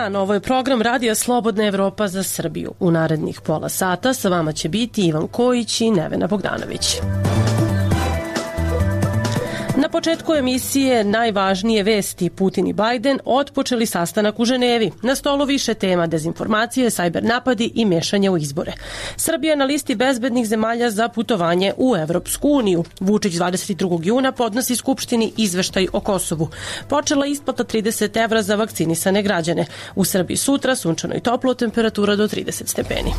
dan, ovo je program Radija Slobodna Evropa za Srbiju. U narednih pola sata sa vama će biti Ivan Kojić i Nevena Bogdanović. Na početku emisije najvažnije vesti. Putin i Bajden otpočeli sastanak u Ženevi. Na stolu više tema: dezinformacije, sajber napadi i mešanje u izbore. Srbija na listi bezbednih zemalja za putovanje u Evropsku uniju. Vučić 22. juna podnosi Skupštini izveštaj o Kosovu. Počela isplata 30 evra za vakcinisane građane. U Srbiji sutra sunčano i toplo, temperatura do 30 stepeni.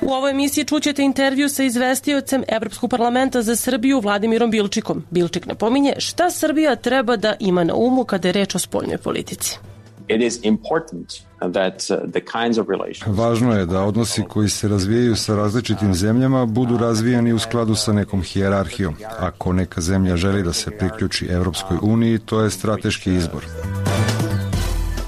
U ovoj emisiji čućete intervju sa izvestiocem Evropskog parlamenta za Srbiju Vladimirom Bilčikom. Bilčik napominje šta Srbija treba da ima na umu kada je reč o spoljnoj politici. Važno je da odnosi koji se razvijaju sa različitim zemljama budu razvijani u skladu sa nekom hijerarhijom. Ako neka zemlja želi da se priključi Evropskoj uniji, to je strateški izbor.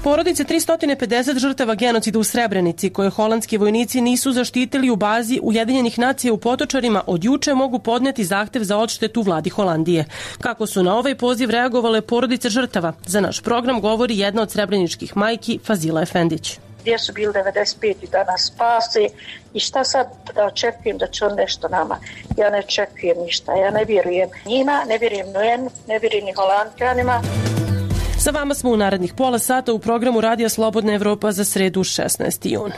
Porodice 350 žrtava genocida u Srebrenici, koje holandski vojnici nisu zaštitili u bazi Ujedinjenih nacija u Potočarima, od juče mogu podneti zahtev za odštetu vladi Holandije. Kako su na ovaj poziv reagovale porodice žrtava? Za naš program govori jedna od srebreničkih majki, Fazila Efendić. Gdje su bili 95 i da nas spase i šta sad da očekujem da će on nešto nama. Ja ne očekujem ništa, ja ne vjerujem njima, ne vjerujem UN, ne vjerujem ni Holandjanima. Sa vama smo u narednih pola sata u programu Radija Slobodna Evropa za sredu 16. jun.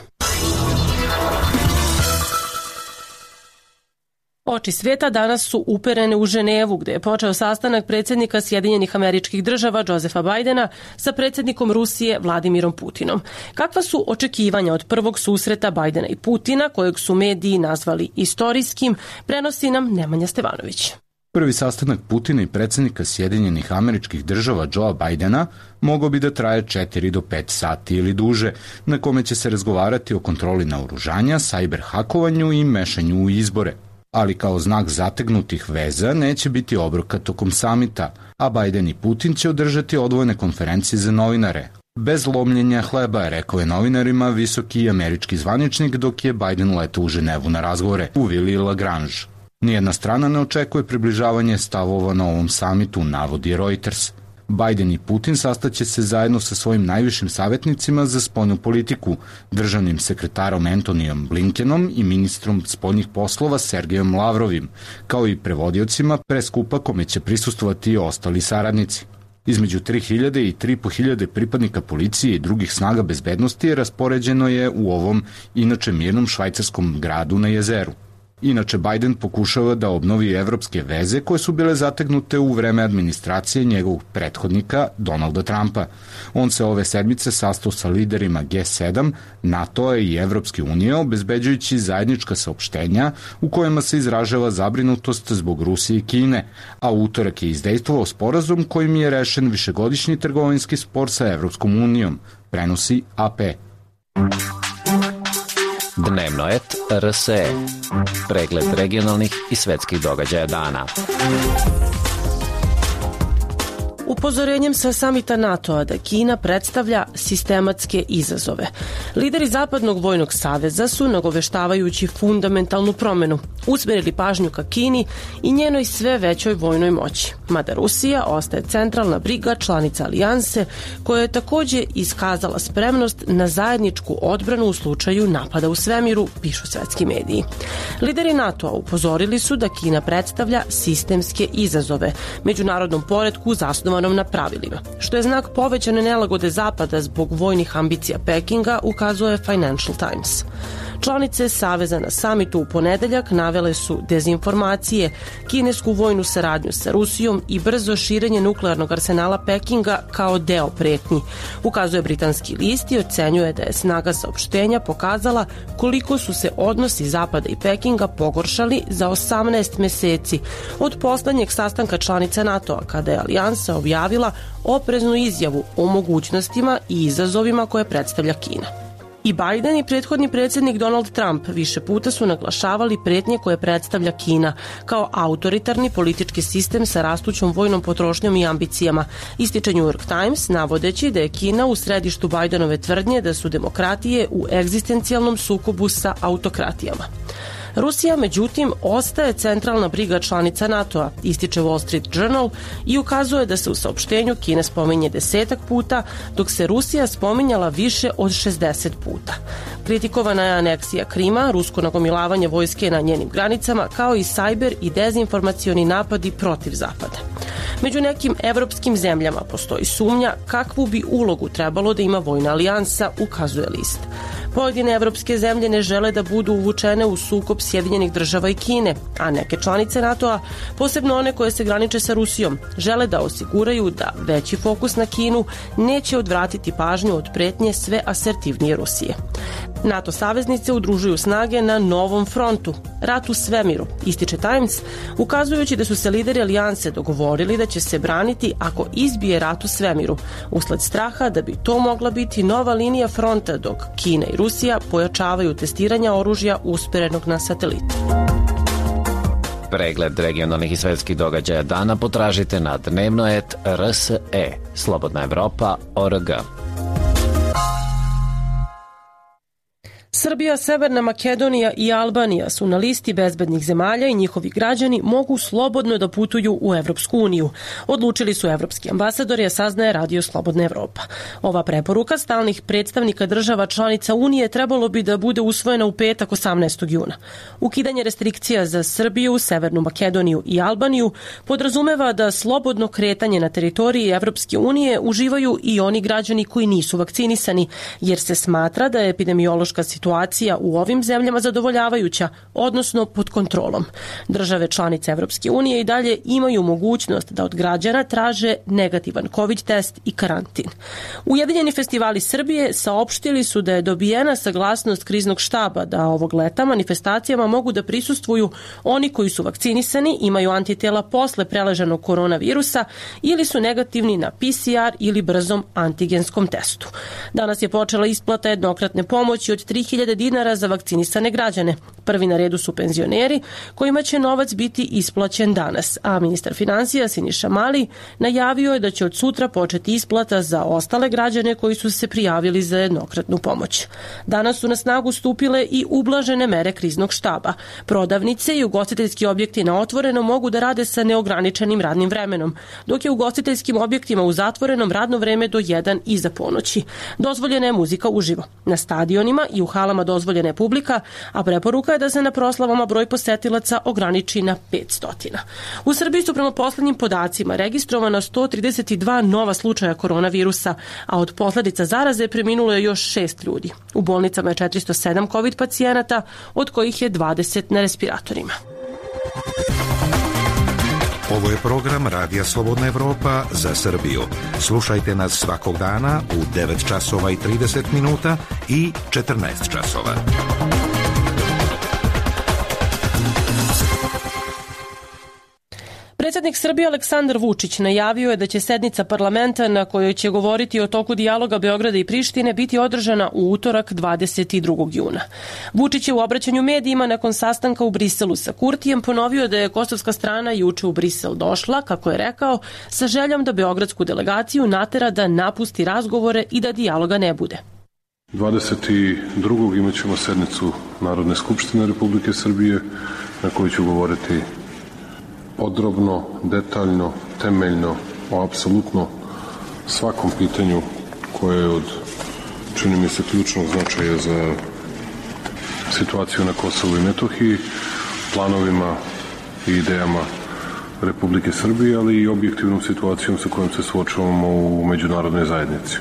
Oči sveta danas su uperene u Ženevu, gde je počeo sastanak predsjednika Sjedinjenih Američkih Država Josefa Bajdena sa predsjednikom Rusije Vladimirom Putinom. Kakva su očekivanja od prvog susreta Bajdena i Putina, kojeg su mediji nazvali istorijskim, prenosi nam Nemanja Stevanović. Prvi sastanak Putina i predsjednika Sjedinjenih Američkih Država Joea Bajdena mogao bi da traje 4 do 5 sati ili duže, na kome će se razgovarati o kontroli naoružanja, sajber hakovanju i mešanju u izbore. Ali kao znak zategnutih veza neće biti obroka tokom samita, a Bajden i Putin će održati odvojene konferencije za novinare. Bez lomljenja hleba, rekao je novinarima visoki američki zvaničnik dok je Bajden letao u Ženevu na razgovore u vili Lagrange. Nijedna strana ne očekuje približavanje stavova na ovom samitu, navodi Reuters. Bajden i Putin sastaće se zajedno sa svojim najvišim savjetnicima za spoljnu politiku, državnim sekretarom Antonijom Blinkenom i ministrom spoljnih poslova Sergejom Lavrovim, kao i prevodiocima preskupa kome će prisustvovati i ostali saradnici. Između 3000 i 3500 pripadnika policije i drugih snaga bezbednosti raspoređeno je u ovom inače mirnom švajcarskom gradu na jezeru. Inače, Bajden pokušava da obnovi evropske veze koje su bile zategnute u vreme administracije njegovog prethodnika Donalda Trumpa. On se ove sedmice sastao sa liderima G7, NATO-a i Evropske unije, obezbeđujući zajednička saopštenja u kojima se izražava zabrinutost zbog Rusije i Kine, a u utorak je izdejstvovao sporazum kojim je rešen višegodišnji trgovinski spor sa Evropskom unijom, prenosi AP. Dnevno et RSE. Pregled regionalnih i svetskih događaja dana. Upozorenjem sa samita NATO-a da Kina predstavlja sistematske izazove. Lideri Zapadnog vojnog saveza su, nagoveštavajući fundamentalnu promenu, usmerili pažnju ka Kini i njenoj sve većoj vojnoj moći. Mada Rusija ostaje centralna briga članica alijanse, koja je takođe iskazala spremnost na zajedničku odbranu u slučaju napada u svemiru, pišu svetski mediji. Lideri NATO-a upozorili su da Kina predstavlja sistemske izazove međunarodnom poretku zasnovanom na pravilima, što je znak povećane nelagode Zapada zbog vojnih ambicija Pekinga, ukazuje Financial Times. Članice Saveza na samitu u ponedeljak navele su dezinformacije, kinesku vojnu saradnju sa Rusijom i brzo širenje nuklearnog arsenala Pekinga kao deo pretnji, ukazuje britanski list i ocenjuje da je snaga saopštenja pokazala koliko su se odnosi Zapada i Pekinga pogoršali za 18 meseci od poslednjeg sastanka članica NATO-a, kada je alijansa objavila opreznu izjavu o mogućnostima i izazovima koje predstavlja Kina. I Bajden i prethodni predsjednik Donald Trump više puta su naglašavali pretnje koje predstavlja Kina kao autoritarni politički sistem sa rastućom vojnom potrošnjom i ambicijama, ističe New York Times, navodeći da je Kina u središtu Bajdenove tvrdnje da su demokratije u egzistencijalnom sukobu sa autokratijama. Rusija, međutim, ostaje centralna briga članica NATO-a, ističe Wall Street Journal i ukazuje da se u saopštenju Kina spominje 10 puta, dok se Rusija spominjala više od 60 puta. Kritikovana je aneksija Krima, rusko nagomilavanje vojske na njenim granicama, kao i sajber i dezinformacioni napadi protiv Zapada. Među nekim evropskim zemljama postoji sumnja kakvu bi ulogu trebalo da ima vojna alijansa, ukazuje list. Pojedine evropske zemlje ne žele da budu uvučene u sukob Sjedinjenih država i Kine, a neke članice NATO-a, posebno one koje se graniče sa Rusijom, žele da osiguraju da veći fokus na Kinu neće odvratiti pažnju od pretnje sve asertivnije Rusije. NATO saveznice udružuju snage na novom frontu, rat u svemiru, ističe Times, ukazujući da su se lideri alijanse dogovorili da će se braniti ako izbije rat u svemiru, usled straha da bi to mogla biti nova linija fronta dok Kina i Rusija pojačavaju testiranja oružja usperenog na satelite. Pregled regionalnih i svetskih događaja dana potražite na dnevnoet.rse, Slobodna Evropa.org. Srbija, Severna Makedonija i Albanija su na listi bezbednih zemalja i njihovi građani mogu slobodno da putuju u Evropsku uniju. Odlučili su evropski ambasadori, a saznaje Radio Slobodna Evropa. Ova preporuka stalnih predstavnika država članica Unije trebalo bi da bude usvojena u petak 18. juna. Ukidanje restrikcija za Srbiju, Severnu Makedoniju i Albaniju podrazumeva da slobodno kretanje na teritoriji Evropske unije uživaju i oni građani koji nisu vakcinisani, jer se smatra da je epidemiološka situacija u ovim zemljama zadovoljavajuća, odnosno pod kontrolom. Države članice Evropske unije i dalje imaju mogućnost da od građana traže negativan COVID test i karantin. Ujedinjeni festivali Srbije saopštili su da je dobijena saglasnost kriznog štaba da ovog leta manifestacijama mogu da prisustvuju oni koji su vakcinisani, imaju antitela posle preleženog koronavirusa ili su negativni na PCR ili brzom antigenskom testu. Danas je počela isplata jednokratne pomoći od 3.000 dinara za vakcinisane građane. Prvi na redu su penzioneri, kojima će novac biti isplaćen danas, a ministar finansija Siniša Mali najavio je da će od sutra početi isplata za ostale građane koji su se prijavili za jednokratnu pomoć. Danas su na snagu stupile i ublažene mere kriznog štaba. Prodavnice i ugostiteljski objekti na otvoreno mogu da rade sa neograničenim radnim vremenom, dok je ugostiteljskim objektima u zatvorenom radno vreme do 1 iza ponoći. Dozvoljena je muzika uživo. Na stadionima i u halama dozvoljena je publika, a preporuka je da se na proslavama broj posetilaca ograniči na 500. U Srbiji su prema poslednjim podacima registrovana 132 nova slučaja koronavirusa, a od posledica zaraze preminulo je još 6 ljudi. U bolnicama je 407 COVID pacijenata, od kojih je 20 na respiratorima. Ovo je program Radija Slobodna Evropa za Srbiju. Slušajte nas svakog dana u 9 časova i 30 minuta i 14 časova. Predsjednik Srbije Aleksandar Vučić najavio je da će sednica parlamenta na kojoj će govoriti o toku dijaloga Beograda i Prištine biti održana u utorak 22. juna. Vučić je u obraćanju medijima nakon sastanka u Briselu sa Kurtijem ponovio da je kosovska strana juče u Brisel došla, kako je rekao, sa željom da beogradsku delegaciju natera da napusti razgovore i da dijaloga ne bude. 22. imat ćemo sednicu Narodne skupštine Republike Srbije na kojoj ću govoriti podrobno, detaljno, temeljno o apsolutno svakom pitanju koje je od, čini mi se, ključnog značaja za situaciju na Kosovu i Metohiji, planovima i idejama Republike Srbije, ali i objektivnom situacijom sa kojom se suočavamo u međunarodnoj zajednici.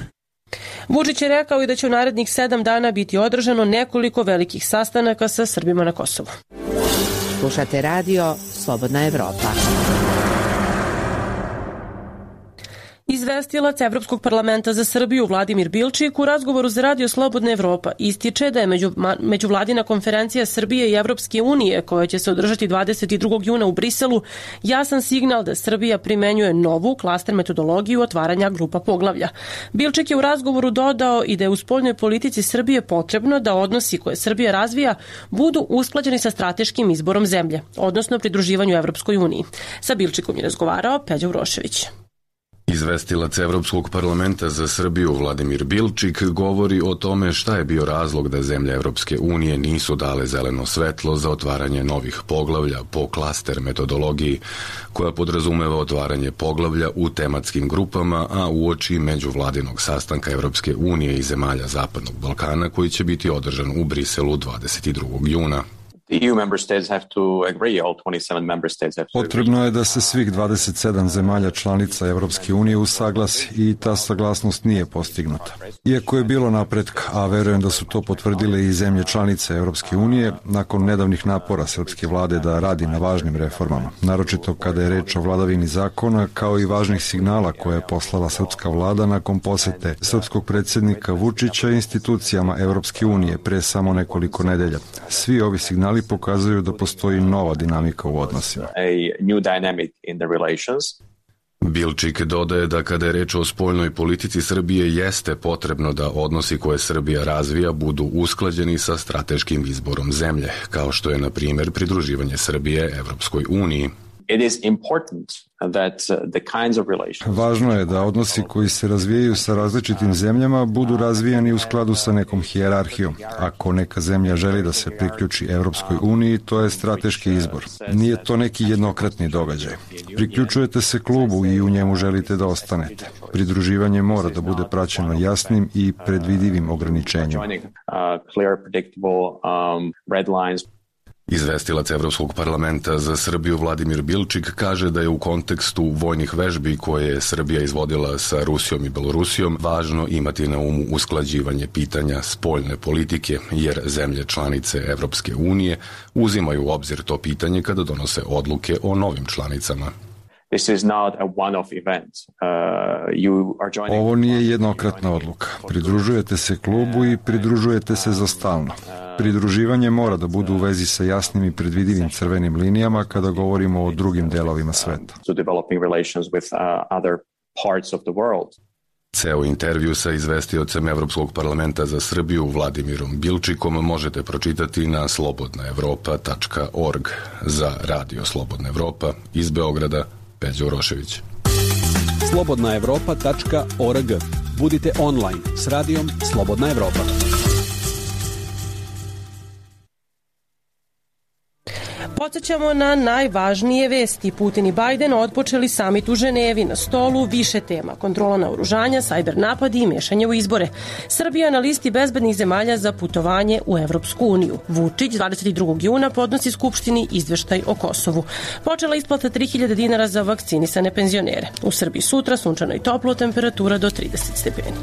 Vučić je rekao i da će u narednih 7 dana biti održano nekoliko velikih sastanaka sa Srbima na Kosovu. Slušate radio Slobodna Evropa. Izvestilac Evropskog parlamenta za Srbiju Vladimir Bilčik u razgovoru za Radio Slobodna Evropa ističe da je međuvladina konferencija Srbije i Evropske unije, koja će se održati 22. juna u Briselu, jasan signal da Srbija primenjuje novu klaster metodologiju otvaranja grupa poglavlja. Bilčik je u razgovoru dodao i da je u spoljnoj politici Srbije potrebno da odnosi koje Srbija razvija budu usklađeni sa strateškim izborom zemlje, odnosno pridruživanju Evropskoj uniji. Sa Bilčikom je razgovarao Peđa Urošević. Izvestilac Evropskog parlamenta za Srbiju Vladimir Bilčik govori o tome šta je bio razlog da zemlje Evropske unije nisu dale zeleno svetlo za otvaranje novih poglavlja po klaster metodologiji, koja podrazumeva otvaranje poglavlja u tematskim grupama, a uoči međuvladinog sastanka Evropske unije i zemalja Zapadnog Balkana koji će biti održan u Briselu 22. juna. Potrebno je da se svih 27 zemalja članica Evropske unije usaglasi i ta saglasnost nije postignuta. Iako je bilo napretka, a verujem da su to potvrdile i zemlje članice Evropske unije, nakon nedavnih napora srpske vlade da radi na važnim reformama, naročito kada je reč o vladavini zakona, kao i važnih signala koje je poslala srpska vlada nakon posete srpskog predsjednika Vučića institucijama Evropske unije pre samo nekoliko nedelja. Svi ovi signali pokazuju da postoji nova dinamika u odnosima. Bilčik dodaje da kada je reč o spoljnoj politici Srbije jeste potrebno da odnosi koje Srbija razvija budu usklađeni sa strateškim izborom zemlje, kao što je na primjer pridruživanje Srbije Evropskoj uniji. Važno je da odnosi koji se razvijaju sa različitim zemljama budu razvijani u skladu sa nekom hijerarhijom. Ako neka zemlja želi da se priključi Evropskoj uniji, to je strateški izbor. Nije to neki jednokratni događaj. Priključujete se klubu i u njemu želite da ostanete. Pridruživanje mora da bude praćeno jasnim i predvidivim ograničenjima. Izvestilac Evropskog parlamenta za Srbiju Vladimir Bilčik kaže da je u kontekstu vojnih vežbi koje je Srbija izvodila sa Rusijom i Belorusijom važno imati na umu usklađivanje pitanja spoljne politike, jer zemlje članice Evropske unije uzimaju u obzir to pitanje kada donose odluke o novim članicama. Ovo nije jednokratna odluka. Pridružujete se klubu i pridružujete se za stalno. Pridruživanje mora da bude u vezi sa jasnim i predvidivim crvenim linijama kada govorimo o drugim delovima sveta. Ceo intervju sa izvestiocem Evropskog parlamenta za Srbiju Vladimirom Bilčikom možete pročitati na slobodnaevropa.org. Za Radio Slobodna Evropa iz Beograda, Peđa Urošević. slobodnaevropa.org. Budite online s radijom Slobodna Evropa. Podsećamo na najvažnije vesti. Putin i Bajden otpočeli samit u Ženevi, na stolu više tema: kontrola naoružanja, sajber napadi i mešanje u izbore. Srbija na listi bezbednih zemalja za putovanje u Evropsku uniju. Vučić 22. juna podnosi Skupštini izveštaj o Kosovu. Počela isplata 3000 dinara za vakcinisane penzionere. U Srbiji sutra sunčano i toplo, temperatura do 30 stepeni.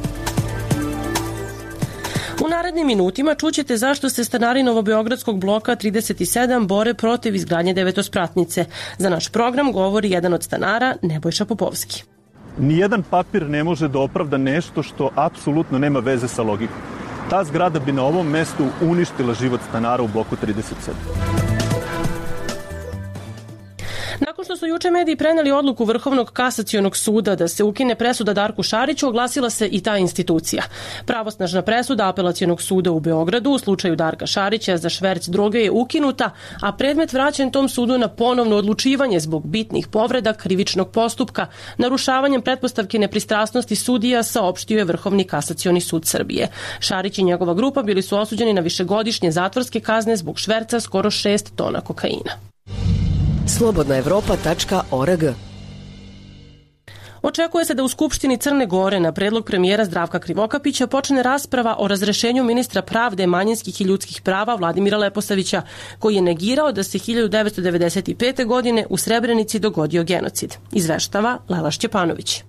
U narednim minutima čućete zašto se stanari Novobeogradskog bloka 37 bore protiv izgradnje devetospratnice. Za naš program govori jedan od stanara, Nebojša Popovski. Nijedan papir ne može da opravda nešto što apsolutno nema veze sa logikom. Ta zgrada bi na ovom mestu uništila život stanara u bloku 37. Nakon što su juče mediji preneli odluku Vrhovnog kasacionog suda da se ukine presuda Darku Šariću, oglasila se i ta institucija. Pravosnažna presuda Apelacionog suda u Beogradu u slučaju Darka Šarića za šverc droge je ukinuta, a predmet vraćen tom sudu na ponovno odlučivanje zbog bitnih povreda krivičnog postupka, narušavanjem pretpostavke nepristrasnosti sudija, saopštio je Vrhovni kasacioni sud Srbije. Šarić i njegova grupa bili su osuđeni na višegodišnje zatvorske kazne zbog šverca skoro 6 tona kokaina. slobodnaevropa.org. Očekuje se da u Skupštini Crne Gore na predlog premijera Zdravka Krivokapića počne rasprava o razrešenju ministra pravde, manjinskih i ljudskih prava Vladimira Leposavića, koji je negirao da se 1995. godine u Srebrenici dogodio genocid. Izveštava Lela Šćepanović.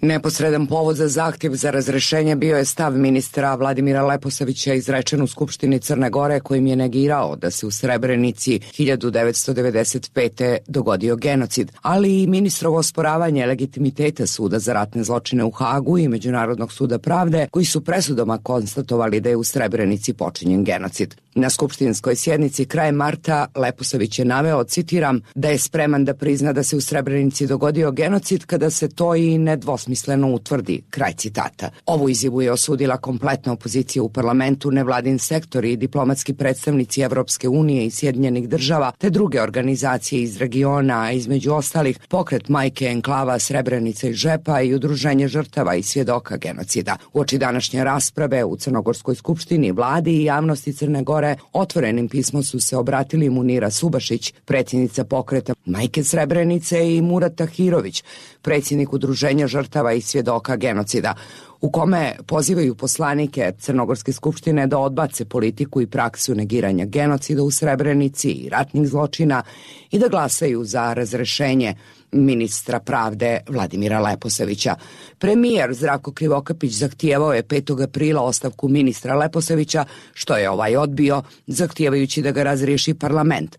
Neposredan povod za zahtjev za razrešenje bio je stav ministra Vladimira Leposavića izrečen u Skupštini Crne Gore, kojim je negirao da se u Srebrenici 1995. dogodio genocid, ali i ministrovo osporavanje legitimiteta Suda za ratne zločine u Hagu i Međunarodnog suda pravde, koji su presudama konstatovali da je u Srebrenici počinjen genocid. Na skupštinskoj sjednici krajem marta Leposavić je naveo, citiram, da je spreman da prizna da se u Srebrenici dogodio genocid kada se to i nedvosmisleno utvrdi, kraj citata. Ovu izjavu je osudila kompletna opozicija u parlamentu, nevladin sektor i diplomatski predstavnici Evropske unije i Sjedinjenih država, te druge organizacije iz regiona, a između ostalih Pokret majke enklava Srebrenica i Žepa i Udruženje žrtava i svjedoka genocida. Uoči današnje rasprave u Crnogorskoj skupštini, vladi i javnosti Crne Gore otvorenim pismom su se obratili Munira Subašić, predsjednica Pokreta majke Srebrenice, i Murat Tahirović, predsjednik Udruženja žrtava i svjedoka genocida, u kome pozivaju poslanike Crnogorske skupštine da odbace politiku i praksu negiranja genocida u Srebrenici i ratnih zločina i da glasaju za razrešenje ministra pravde Vladimira Leposavića. Premijer Zdravko Krivokapić zahtijevao je 5. aprila ostavku ministra Leposavića, što je ovaj odbio, zahtijevajući da ga razriješi parlament.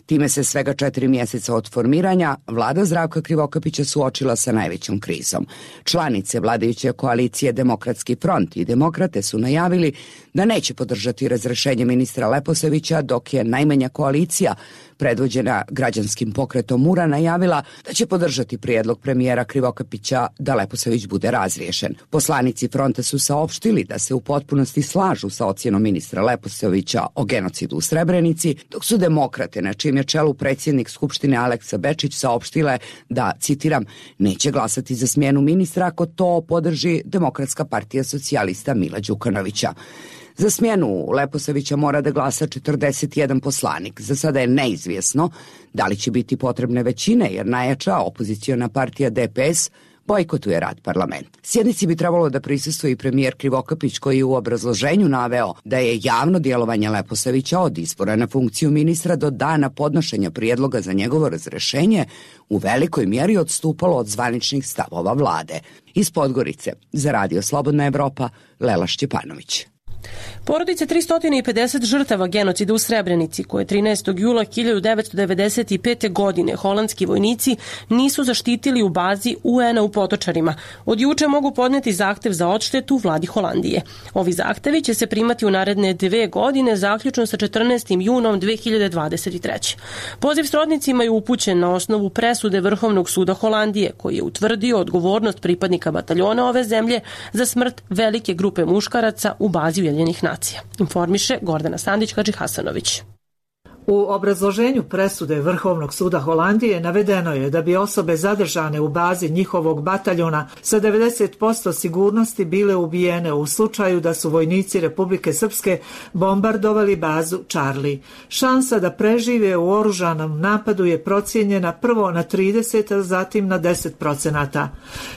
Time se svega 4 mjeseca od formiranja vlada Zdravka Krivokapića suočila sa najvećom krizom. Članice vladajuće koalicije Demokratski front i Demokrate su najavili da neće podržati razrešenje ministra Leposavića, dok je najmanja koalicija, predvođena građanskim pokretom Mura, najavila da će podržati prijedlog premijera Krivokapića da Leposavić bude razriješen. Poslanici fronta su saopštili da se u potpunosti slažu sa ocjenom ministra Leposavića o genocidu u Srebrenici, dok su Demokrate, na čijem je čelu predsjednik Skupštine Aleksa Bečić, saopštile da, citiram, neće glasati za smjenu ministra ako to podrži Demokratska partija socijalista Mila Đukanovića. Za smjenu Leposavića mora da glasa 41 poslanik. Za sada je neizvjesno da li će biti potrebne većine, jer najjača opoziciona partija DPS bojkotuje rad parlamenta. Sjednici bi trebalo da prisustvuje i premijer Krivokapić, koji je u obrazloženju naveo da je javno djelovanje Leposavića od izbora na funkciju ministra do dana podnošenja prijedloga za njegovo razrešenje u velikoj mjeri odstupalo od zvaničnih stavova vlade. Iz Podgorice, za Radio Slobodna Evropa, Lela Šćepanović. Porodice 350 žrtava genocida u Srebrenici, koje 13. jula 1995. godine holandski vojnici nisu zaštitili u bazi UN-a u Potočarima, od juče mogu podneti zahtev za odštetu vladi Holandije. Ovi zahtevi će se primati u naredne 2 godine, zaključno sa 14. junom 2023. Poziv srodnicima je upućen na osnovu presude Vrhovnog suda Holandije, koji je utvrdio odgovornost pripadnika bataljona ove zemlje za smrt velike grupe muškaraca u bazi Ujedinjenih nacija. Informiše Gordana Sandić-Hadžihasanović. U obrazloženju presude Vrhovnog suda Holandije navedeno je da bi osobe zadržane u bazi njihovog bataljona sa 90% sigurnosti bile ubijene u slučaju da su vojnici Republike Srpske bombardovali bazu Charlie. Šansa da prežive u oružanom napadu je procijenjena prvo na 30, a zatim na 10%.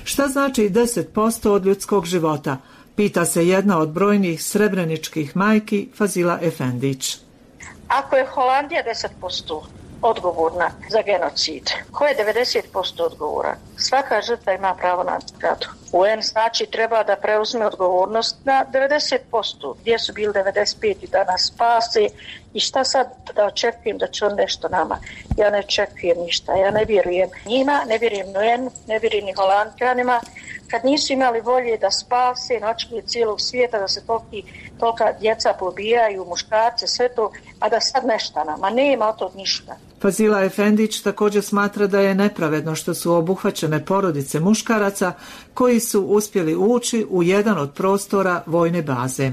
Šta znači 10% od ljudskog života? Pita se jedna od brojnih srebreničkih majki, Fazila Efendić. Ako je Holandija 10% odgovorna za genocid, ko je 90% odgovoran? Svaka žrtva ima pravo na nagradu. UN znači treba da preuzme odgovornost na 90%. Gdje su bili 95 i da nas spase? I šta sad da očekujem da će on nešto nama? Ja ne očekujem ništa, ja ne vjerujem njima, ne vjerujem UN, ne vjerujem ni Holandjanima. Kad nisu imali volje da spase na očekuje cijelog svijeta, da se tolika djeca pobijaju, muškarce, sve to, a da sad nešta nama, nema od tog ništa. Fazila Efendić također smatra da je nepravedno što su obuhvaćene porodice muškaraca koji su uspjeli ući u jedan od prostora vojne baze.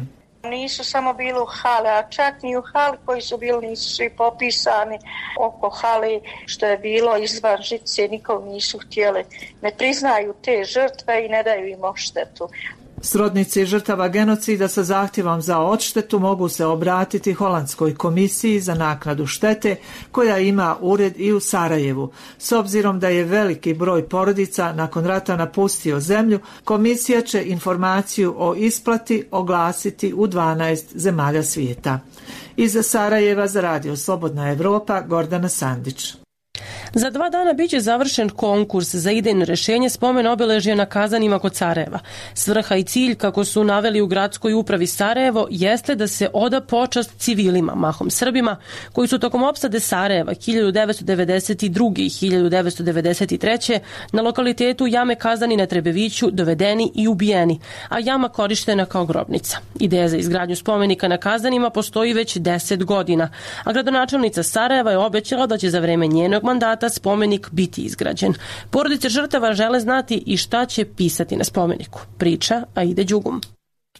Nisu samo bili u hale, a čak ni u hali koji su bili nisu svi popisani oko hale što je bilo izvan žice, nikom nisu htjeli. Ne priznaju te žrtve i ne daju im odštetu. Srodnici žrtava genocida sa zahtjevom za odštetu mogu se obratiti Holandskoj komisiji za naknadu štete, koja ima ured i u Sarajevu. S obzirom da je veliki broj porodica nakon rata napustio zemlju, komisija će informaciju o isplati oglasiti u 12 zemalja svijeta. Iz Sarajeva za Radio Slobodna Evropa, Gordana Sandić. Za 2 dana biće završen konkurs za idejno rešenje spomen obeležja na Kazanima kod Sarajeva. Svrha i cilj, kako su naveli u gradskoj upravi Sarajevo, jeste da se oda počast civilima, mahom Srbima, koji su tokom opsade Sarajeva 1992. i 1993. na lokalitetu jame Kazani na Trebeviću dovedeni i ubijeni, a jama korištena kao grobnica. Ideja za izgradnju spomenika na Kazanima postoji već 10 godina, a gradonačelnica Sarajeva je obećala da će za vreme njenog mandata spomenik biti izgrađen. Porodice žrtava žele znati i šta će pisati na spomeniku. Priča Aide Đugum.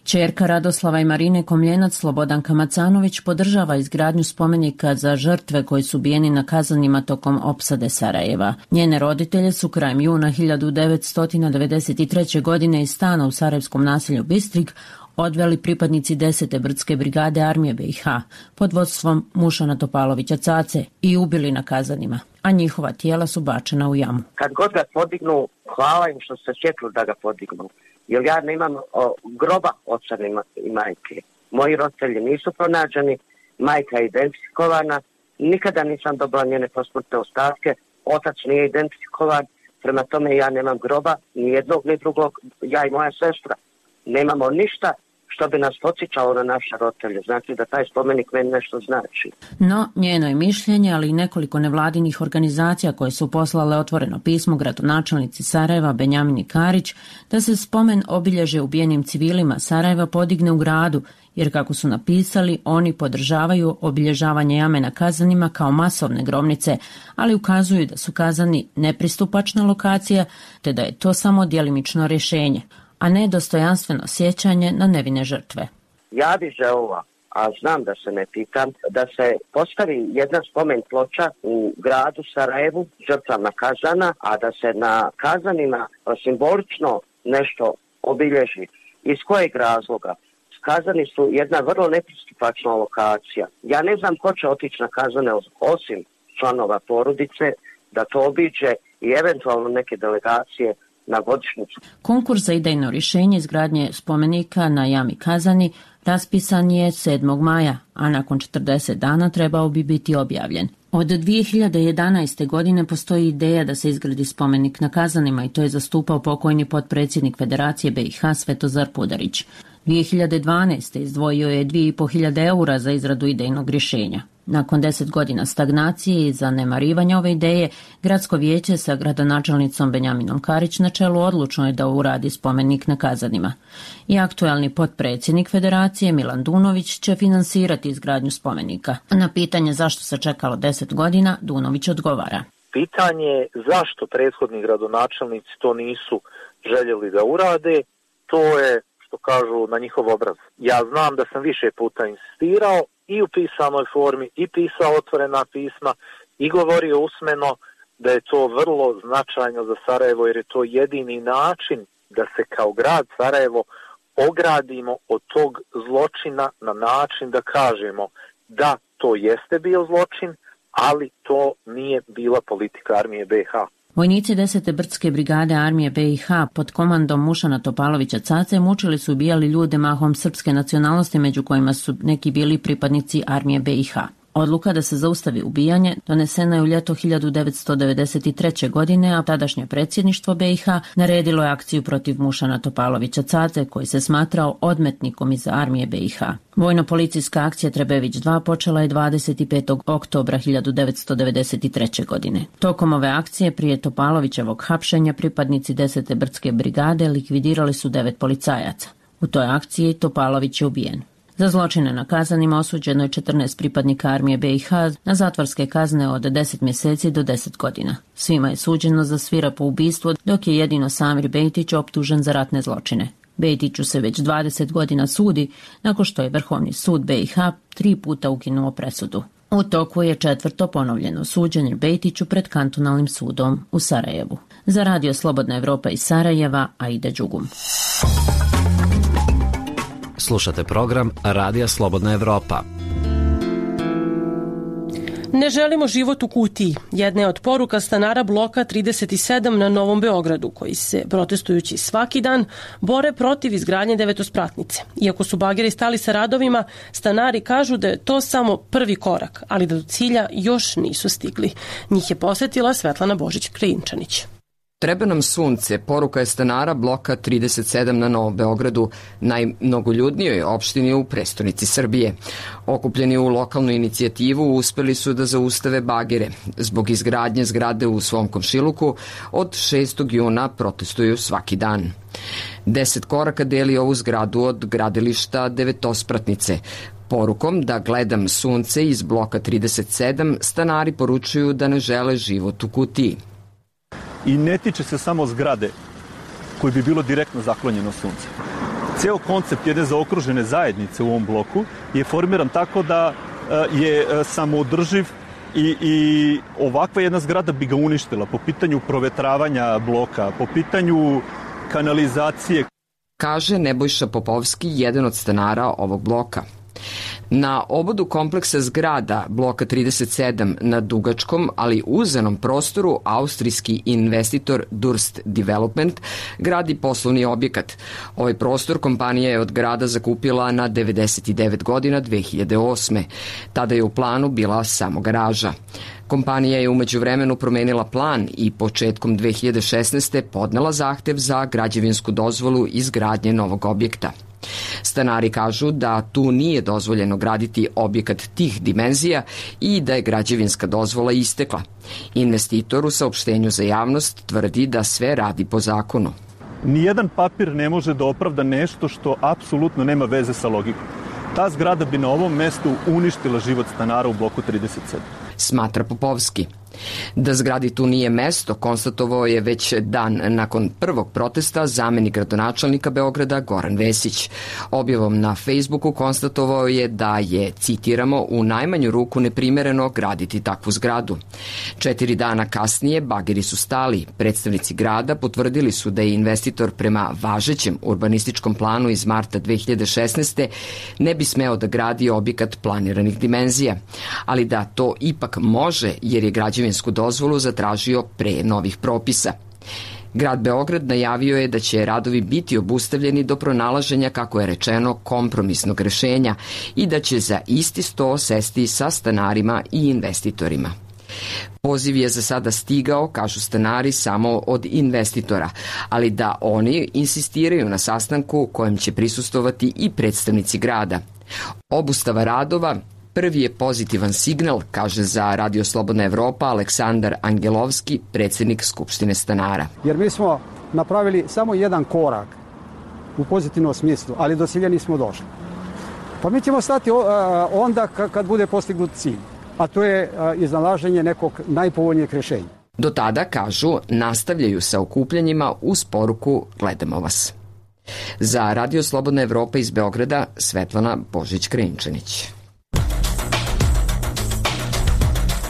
Ćerka Radoslava i Marine Komljenac, Slobodanka Macanović, podržava izgradnju spomenika za žrtve koji su ubijeni na Kazanima tokom opsade Sarajeva. Njene roditelje su krajem juna 1993. godine iz stana u sarajevskom naselju Bistrig odveli pripadnici 10. brdske brigade armije BiH pod vodstvom Mušana Topalovića Cace i ubili na Kazanima, a njihova tijela su bačena u jamu. Kad god ga podignu, hvala im što se sjetili da ga podignu. Jer ja nemam groba oca i majke. Moji roditelji nisu pronađeni, majka je identifikovana, nikada nisam dobila njene posmrtne ostatke, otac nije identifikovan, prema tome ja nemam groba, ni jednog ni drugog, ja i moja sestra. Nemamo ništa što bi nas podsjećalo na naše roditelje. Znači da taj spomenik meni nešto znači. No, njeno je mišljenje, ali i nekoliko nevladinih organizacija koje su poslale otvoreno pismo gradonačelnici Sarajeva Benjamini Karić da se spomen obilježe ubijenim civilima Sarajeva podigne u gradu, jer kako su napisali, oni podržavaju obilježavanje jame na Kazanima kao masovne grobnice, ali ukazuju da su Kazani nepristupačna lokacija, te da je to samo djelimično rješenje, a ne dostojanstveno sjećanje na nevine žrtve. Ja bih želila, a znam da se ne pitam, da se postavi jedna spomen ploča u gradu Sarajevu žrtvama Kazana, a da se na Kazanima simbolično nešto obilježi. Iz kojeg razloga? Kazani su jedna vrlo nepristupačna lokacija. Ja ne znam ko će otići na Kazane osim članova porodice, da to obiđe i eventualno neke delegacije na godišnjicu. Konkurs za idejno rješenje izgradnje spomenika na jami Kazani raspisan je 7. maja, a nakon 40 dana trebao bi biti objavljen. Od 2011. godine postoji ideja da se izgradi spomenik na Kazanima i to je zastupao pokojni potpredsjednik Federacije BiH Svetozar Pudarić. 2012. izdvojio je 2.500 eura za izradu idejnog rješenja. Nakon 10 godina stagnacije i zanemarivanja ove ideje, gradsko vijeće sa gradonačelnicom Benjaminom Karić na čelu odlučno je da uradi spomenik na Kazanima. I aktualni potpredsjednik Federacije Milan Dunović će finansirati izgradnju spomenika. Na pitanje zašto se čekalo 10 godina, Dunović odgovara. Pitanje zašto prethodni gradonačelnici to nisu željeli da urade, to je, što kažu, na njihov obraz. Ja znam da sam više puta insistirao i u pisanoj formi, i pisao otvorena pisma, i govorio usmeno da je to vrlo značajno za Sarajevo, jer je to jedini način da se kao grad Sarajevo ogradimo od tog zločina na način da kažemo da to jeste bio zločin, ali to nije bila politika armije BiH. Vojnici 10. brdske brigade armije BiH pod komandom Mušana Topalovića Cace mučili su ubijali ljude mahom srpske nacionalnosti, među kojima su neki bili pripadnici armije BiH. Odluka da se zaustavi ubijanje donesena je u ljeto 1993. godine, a tadašnje predsjedništvo BiH naredilo je akciju protiv Mušana Topalovića Cace, koji se smatrao odmetnikom iz armije BiH. Vojno-policijska akcija Trebević 2 počela je 25. oktobra 1993. godine. Tokom ove akcije prije Topalovićevog hapšenja pripadnici 10. brdske brigade likvidirali su 9 policajaca. U toj akciji Topalović je ubijen. Za zločine na Kazanima osuđeno je 14 pripadnika armije BiH na zatvorske kazne od 10 mjeseci do 10 godina. Svima je suđeno za svirepo ubistvo, dok je jedino Samir Bejtić optužen za ratne zločine. Bejtiću se već 20 godina sudi, nakon što je Vrhovni sud BiH 3 puta ukinuo presudu. U toku je 4. ponovljeno suđenje Bejtiću pred kantonalnim sudom u Sarajevu. Za Radio Slobodna Evropa iz Sarajeva, Aida Đugum. Slušate program Radija Slobodna Evropa. Ne želimo život u kutiji. Jedna je od poruka stanara bloka 37 na Novom Beogradu, koji se, protestujući svaki dan, bore protiv izgradnje devetospratnice. Iako su bageri stali sa radovima, stanari kažu da je to samo prvi korak, ali da do cilja još nisu stigli. Njih je posetila Svetlana Božić-Krajinčanić. Treba nam sunce, poruka je stanara bloka 37 na Novom Beogradu, najmnogoljudnijoj opštini u prestonici Srbije. Okupljeni u lokalnu inicijativu uspeli su da zaustave bagere. Zbog izgradnje zgrade u svom komšiluku od 6. juna protestuju svaki dan. 10 koraka deli ovu zgradu od gradilišta devetospratnice. Porukom da gledam sunce iz bloka 37 stanari poručuju da ne žele život u kutiji. I ne tiče se samo zgrade koji bi bilo direktno zaklonjeno sunce. Ceo koncept jedne zaokružene zajednice u ovom bloku je formiran tako da je samoodrživ i ovakva jedna zgrada bi ga uništila po pitanju provetravanja bloka, po pitanju kanalizacije. Kaže Nebojša Popovski, jedan od stanara ovog bloka. Na obodu kompleksa zgrada bloka 37 na dugačkom, ali uzenom prostoru, austrijski investitor Durst Development gradi poslovni objekat. Ovaj prostor kompanija je od grada zakupila na 99 godina 2008. Tada je u planu bila samo garaža. Kompanija je umeđu vremenu promenila plan i početkom 2016. podnela zahtev za građevinsku dozvolu izgradnje novog objekta. Stanari kažu da tu nije dozvoljeno graditi objekat tih dimenzija i da je građevinska dozvola istekla. Investitor u saopštenju za javnost tvrdi da sve radi po zakonu. Nijedan papir ne može da opravda nešto što apsolutno nema veze sa logikom. Ta zgrada bi na ovom mestu uništila život stanara u bloku 37. Smatra Popovski. Da zgradi tu nije mesto, konstatovao je već dan nakon prvog protesta zamenik gradonačelnika Beograda Goran Vesić. Objavom na Facebooku konstatovao je da je, citiramo, u najmanju ruku neprimereno graditi takvu zgradu. 4 dana kasnije bageri su stali. Predstavnici grada potvrdili su da je investitor prema važećem urbanističkom planu iz marta 2016. ne bi smeo da gradi objekat planiranih dimenzija, ali da to ipak može jer je građevinsku dozvolu zatražio pre novih propisa. Grad Beograd najavio je da će radovi biti obustavljeni do pronalaženja, kako je rečeno, kompromisnog rešenja i da će za isti sto sesti sa stanarima i investitorima. Poziv je za sada stigao, kažu stanari, samo od investitora, ali da oni insistiraju na sastanku kojem će prisustovati i predstavnici grada. Obustava radova prvi je pozitivan signal, kaže za Radio Slobodna Evropa Aleksandar Angelovski, predsjednik Skupštine stanara. Jer mi smo napravili samo jedan korak u pozitivnom smislu, ali do cilja nismo došli. Pa mi ćemo stati onda kad bude postignut cilj, a to je iznalaženje nekog najpovoljnijeg rješenja. Do tada, kažu, nastavljaju sa okupljanjima uz poruku Gledamo vas. Za Radio Slobodna Evropa iz Beograda, Svetlana Božić-Krajinčanić.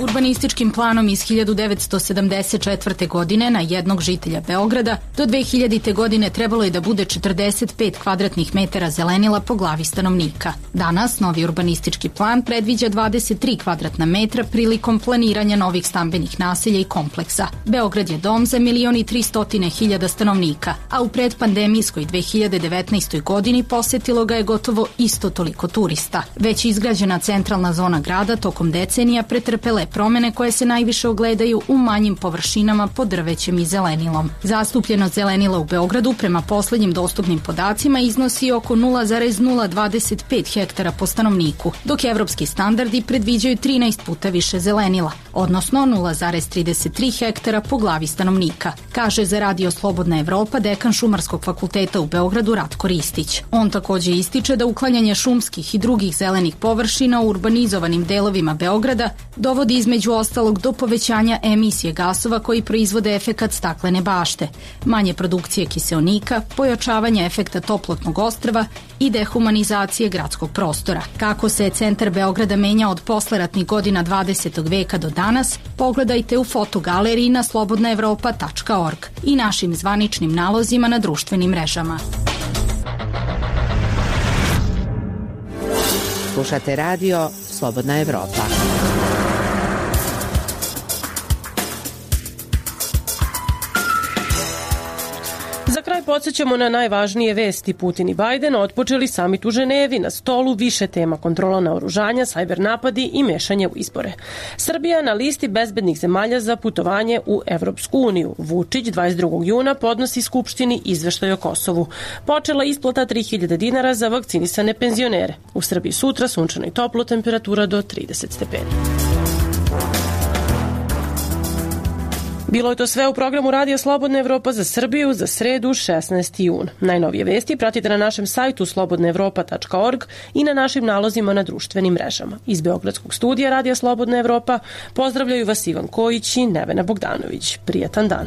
Urbanističkim planom iz 1974. godine na jednog žitelja Beograda do 2000. godine trebalo je da bude 45 kvadratnih metara zelenila po glavi stanovnika. Danas novi urbanistički plan predviđa 23 kvadratna metra prilikom planiranja novih stambenih naselja i kompleksa. Beograd je dom za 1.300.000 stanovnika, a u predpandemijskoj 2019. godini posetilo ga je gotovo isto toliko turista. Već izgrađena centralna zona grada tokom decenija pretrpele promene koje se najviše ogledaju u manjim površinama pod drvećem i zelenilom. Zastupljenost zelenila u Beogradu prema poslednjim dostupnim podacima iznosi oko 0,025 hektara po stanovniku, dok evropski standardi predviđaju 13 puta više zelenila, odnosno 0,33 hektara po glavi stanovnika, kaže za Radio Slobodna Evropa dekan Šumarskog fakulteta u Beogradu Ratko Ristić. On takođe ističe da uklanjanje šumskih i drugih zelenih površina u urbanizovanim delovima Beograda dovodi između ostalog do povećanja emisije gasova koji proizvode efekat staklene bašte, manje produkcije kiseonika, pojačavanja efekta toplotnog ostrva i dehumanizacije gradskog prostora. Kako se centar Beograda menja od posleratnih godina 20. veka do danas, pogledajte u fotogaleriji na slobodnaevropa.org i našim zvaničnim nalozima na društvenim mrežama. Slušate radio Slobodna Evropa. podsjećamo na najvažnije vesti. Putin i Biden otpočeli samit u Ženevi, na stolu više tema: kontrola naoružanja, sajber napadi i mešanje u izbore. Srbija na listi bezbednih zemalja za putovanje u Evropsku uniju. Vučić 22. juna podnosi Skupštini izveštaj o Kosovu. Počela isplata 3000 dinara za vakcinisane penzionere. U Srbiji sutra sunčano i toplo, temperatura do 30 stepeni. Bilo je to sve u programu Radija Slobodna Evropa za Srbiju za sredu 16. jun. Najnovije vesti pratite na našem sajtu slobodnaevropa.org i na našim nalozima na društvenim mrežama. Iz Beogradskog studija Radija Slobodna Evropa pozdravljaju vas Ivan Kojić i Nevena Bogdanović. Prijatan dan.